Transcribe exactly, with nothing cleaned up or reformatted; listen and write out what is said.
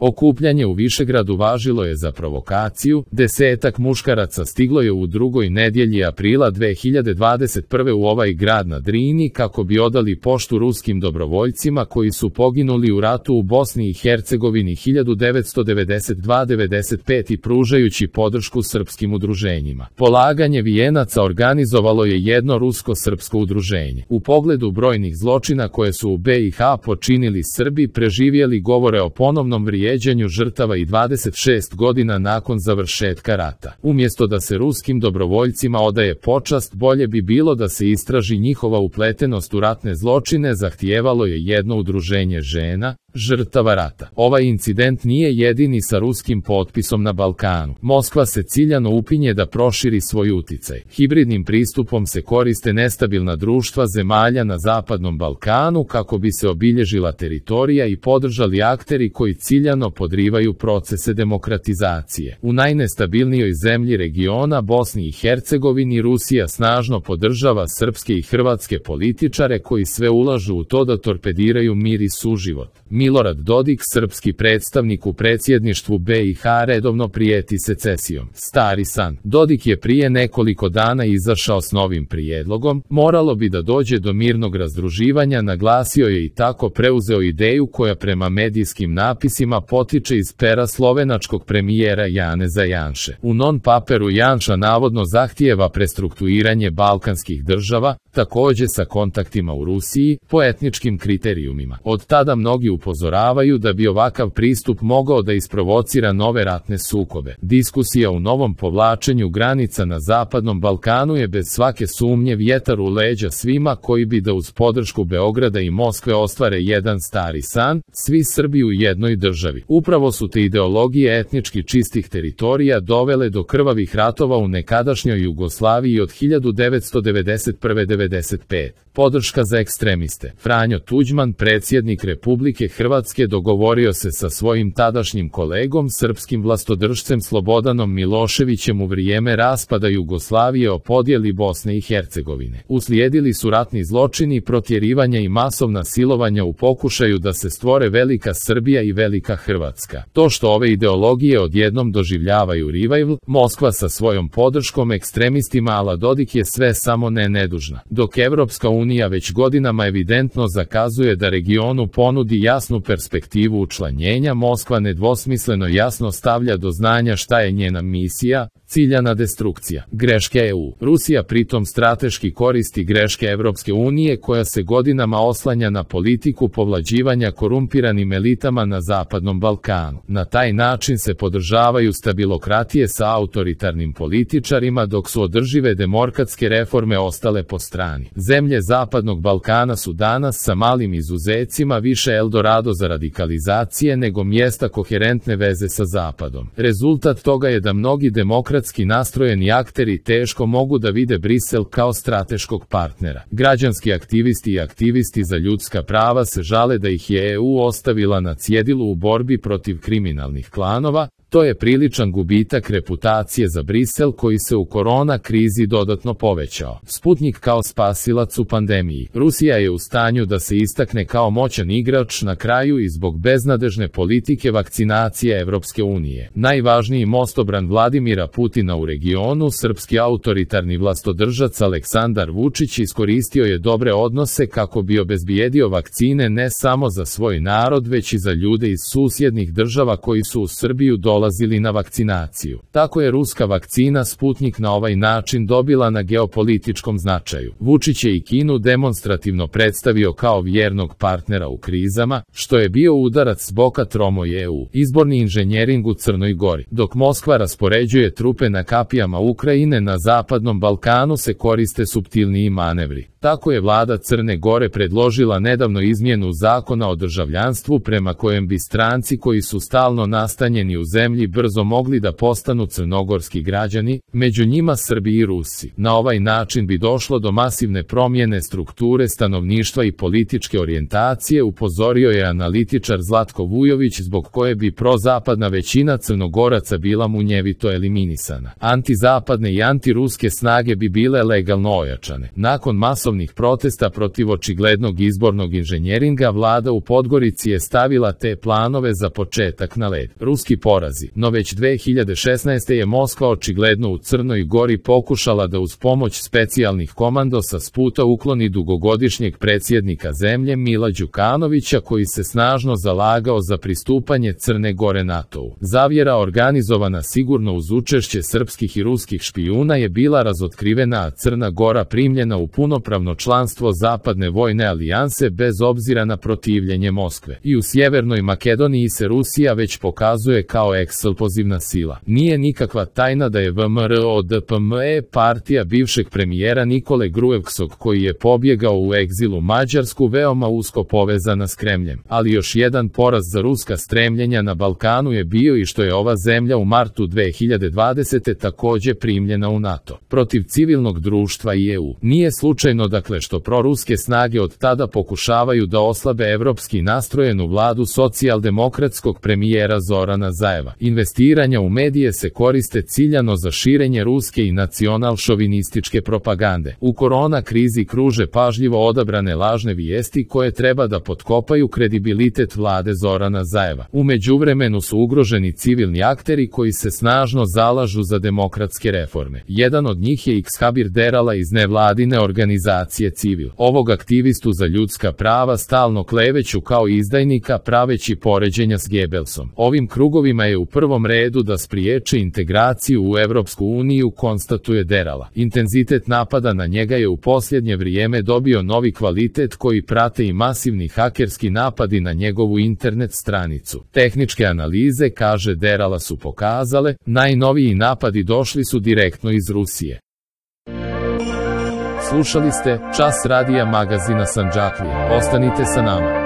Okupljanje u Višegradu važilo je za provokaciju, desetak muškaraca stiglo je u drugoj nedjelji aprila dve hiljade dvadeset prve u ovaj grad na Drini kako bi odali poštu ruskim dobrovoljcima koji su poginuli u ratu u Bosni i Hercegovini hiljadu devetsto devedeset dva do devedeset pet i pružajući podršku srpskim udruženjima. Polaganje vijenaca organizovalo je jedno rusko-srpsko udruženje. U pogledu brojnih zločina koje su u be i ha počinili Srbi, preživjeli govore o ponovnom vrijeđanju žrtava i dvadeset šest godina nakon završetka rata. Umjesto da se ruskim dobrovoljcima odaje počast, bolje bi bilo da se istraži njihova upletenost u ratne zločine, zahtijevalo je jedno udruženje žena, žrtava rata. Ovaj incident nije jedini sa ruskim potpisom na Balkanu. Moskva se ciljano upinje da proširi svoj uticaj. Hibridnim pristupom se koriste nestabilna društva zemalja na Zapadnom Balkanu kako bi se obilježila teritorija i podržali akteri koji ciljano podrivaju procese demokratizacije. U najnestabilnijoj zemlji regiona, Bosni i Hercegovini, Rusija snažno podržava srpske i hrvatske političare koji sve ulažu u to da torpediraju mir i suživot. Milorad Dodik, srpski predstavnik u predsjedništvu be i ha, redovno prijeti secesijom. Stari san. Dodik je prije nekoliko dana izašao s novim prijedlogom, moralo bi da dođe do mirnog razdruživanja, naglasio je i tako preuzeo ideju koja prema medijskim napisima potiče iz pera slovenačkog premijera Janeza Janše. U non-paperu Janša navodno zahtijeva prestrukturiranje balkanskih država, također sa kontaktima u Rusiji, po etničkim kriterijumima. Od tada mnogi upozoravaju da bi ovakav pristup mogao da isprovocira nove ratne sukobe. Diskusija u novom povlačenju granica na Zapadnom Balkanu je bez svake sumnje vjetar u leđa svima koji bi da uz podršku Beograda i Moskve ostvare jedan stari san, svi Srbi u jednoj državi. Upravo su te ideologije etnički čistih teritorija dovele do krvavih ratova u nekadašnjoj Jugoslaviji od hiljadu devetsto devedeset prve do devedeset pete. Podrška za ekstremiste. Franjo Tuđman, predsjednik Republike Hrvatske, dogovorio se sa svojim tadašnjim kolegom, srpskim vlastodržcem Slobodanom Miloševićem u vrijeme raspada Jugoslavije o podjeli Bosne i Hercegovine. Uslijedili su ratni zločini, protjerivanja i masovna silovanja u pokušaju da se stvore velika Srbija i velika Hrvatska. To što ove ideologije odjednom doživljavaju revival, Moskva sa svojom podrškom ekstremistima ala Dodik je sve samo ne nedužna. Dok Evropska unija već godinama evidentno zakazuje da regionu ponudi jasnu perspektivu učlanjenja, Moskva nedvosmisleno jasno stavlja do znanja šta je njena misija, ciljana destrukcija. Greške e u. Rusija pritom strateški koristi greške Evropske unije koja se godinama oslanja na politiku povlađivanja korumpiranim elitama na Zapadnom Balkanu. Na taj način se podržavaju stabilokratije sa autoritarnim političarima dok su održive demokratske reforme ostale po strani. Zemlje Zapadnog Balkana su danas sa malim izuzecima više Eldorado za radikalizacije nego mjesta koherentne veze sa Zapadom. Rezultat toga je da mnogi demokratski nastrojeni akteri teško mogu da vide Brisel kao strateškog partnera. Građanski aktivisti i aktivisti za ljudska prava se žale da ih je e u ostavila na cjedilu u borbi protiv kriminalnih klanova. To je priličan gubitak reputacije za Brisel koji se u korona krizi dodatno povećao. Sputnik kao spasilac u pandemiji. Rusija je u stanju da se istakne kao moćan igrač na kraju i zbog beznadežne politike vakcinacije Evropske unije. Najvažniji mostobran Vladimira Putina u regionu, srpski autoritarni vlastodržac Aleksandar Vučić, iskoristio je dobre odnose kako bi obezbijedio vakcine ne samo za svoj narod već i za ljude iz susjednih država koji su u Srbiju dolazili na vakcinaciju. Tako je ruska vakcina Sputnik na ovaj način dobila na geopolitičkom značaju. Vučić je i Kinu demonstrativno predstavio kao vjernog partnera u krizama, što je bio udarac s boka tromoj e u. Izborni inženjering u Crnoj Gori. Dok Moskva raspoređuje trupe na kapijama Ukrajine, na Zapadnom Balkanu se koriste suptilniji manevri. Tako je vlada Crne Gore predložila nedavno izmjenu zakona o državljanstvu prema kojem bi stranci koji su stalno nastanjeni u zemlji brzo mogli da postanu crnogorski građani, među njima Srbi i Rusi. Na ovaj način bi došlo do masivne promjene strukture stanovništva i političke orijentacije, upozorio je analitičar Zlatko Vujović, zbog koje bi prozapadna većina Crnogoraca bila munjevito eliminisana. Antizapadne i antiruske snage bi bile legalno ojačane. Nakon masovne masovnih protesta protiv očiglednog izbornog inženjeringa, vlada u Podgorici je stavila te planove za početak na led. Ruski porazi. No već dve hiljade šesnaeste. je Moskva očigledno u Crnoj Gori pokušala da uz pomoć specijalnih komandosa s puta ukloni dugogodišnjeg predsjednika zemlje Mila Đukanovića, koji se snažno zalagao za pristupanje Crne Gore NATO-u. Zavjera organizovana sigurno uz učešće srpskih i ruskih špijuna je bila razotkrivena, a Crna Gora primljena u punopravno članstvo Zapadne vojne alijanse bez obzira na protivljenje Moskve. I u Sjevernoj Makedoniji se Rusija već pokazuje kao eksplozivna sila. Nije nikakva tajna da je V M R O D P M E partija bivšeg premijera Nikole Gruevskog, koji je pobjegao u egzilu Mađarsku, veoma usko povezana s Kremljem. Ali još jedan poraz za ruska stremljenja na Balkanu je bio i što je ova zemlja u martu dve hiljade dvadesete. takođe primljena u NATO. Protiv civilnog društva i E U. Nije slučajno dakle što proruske snage od tada pokušavaju da oslabe evropski nastrojenu vladu socijaldemokratskog premijera Zorana Zajeva. Investiranja u medije se koriste ciljano za širenje ruske i nacional-šovinističke propagande. U korona krizi kruže pažljivo odabrane lažne vijesti koje treba da potkopaju kredibilitet vlade Zorana Zajeva. U međuvremenu su ugroženi civilni akteri koji se snažno zalažu za demokratske reforme. Jedan od njih je Xhabir Derala iz nevladine organizacije Civil. Ovog aktivistu za ljudska prava stalno kleveću kao izdajnika, praveći poređenja s Gebelsom. Ovim krugovima je u prvom redu da spriječe integraciju u Evropsku uniju, konstatuje Derala. Intenzitet napada na njega je u posljednje vrijeme dobio novi kvalitet koji prate i masivni hakerski napadi na njegovu internet stranicu. Tehničke analize, kaže Derala, su pokazale, najnoviji napadi došli su direktno iz Rusije. Slušali ste Čas radija magazina Sandžaklije. Ostanite sa nama.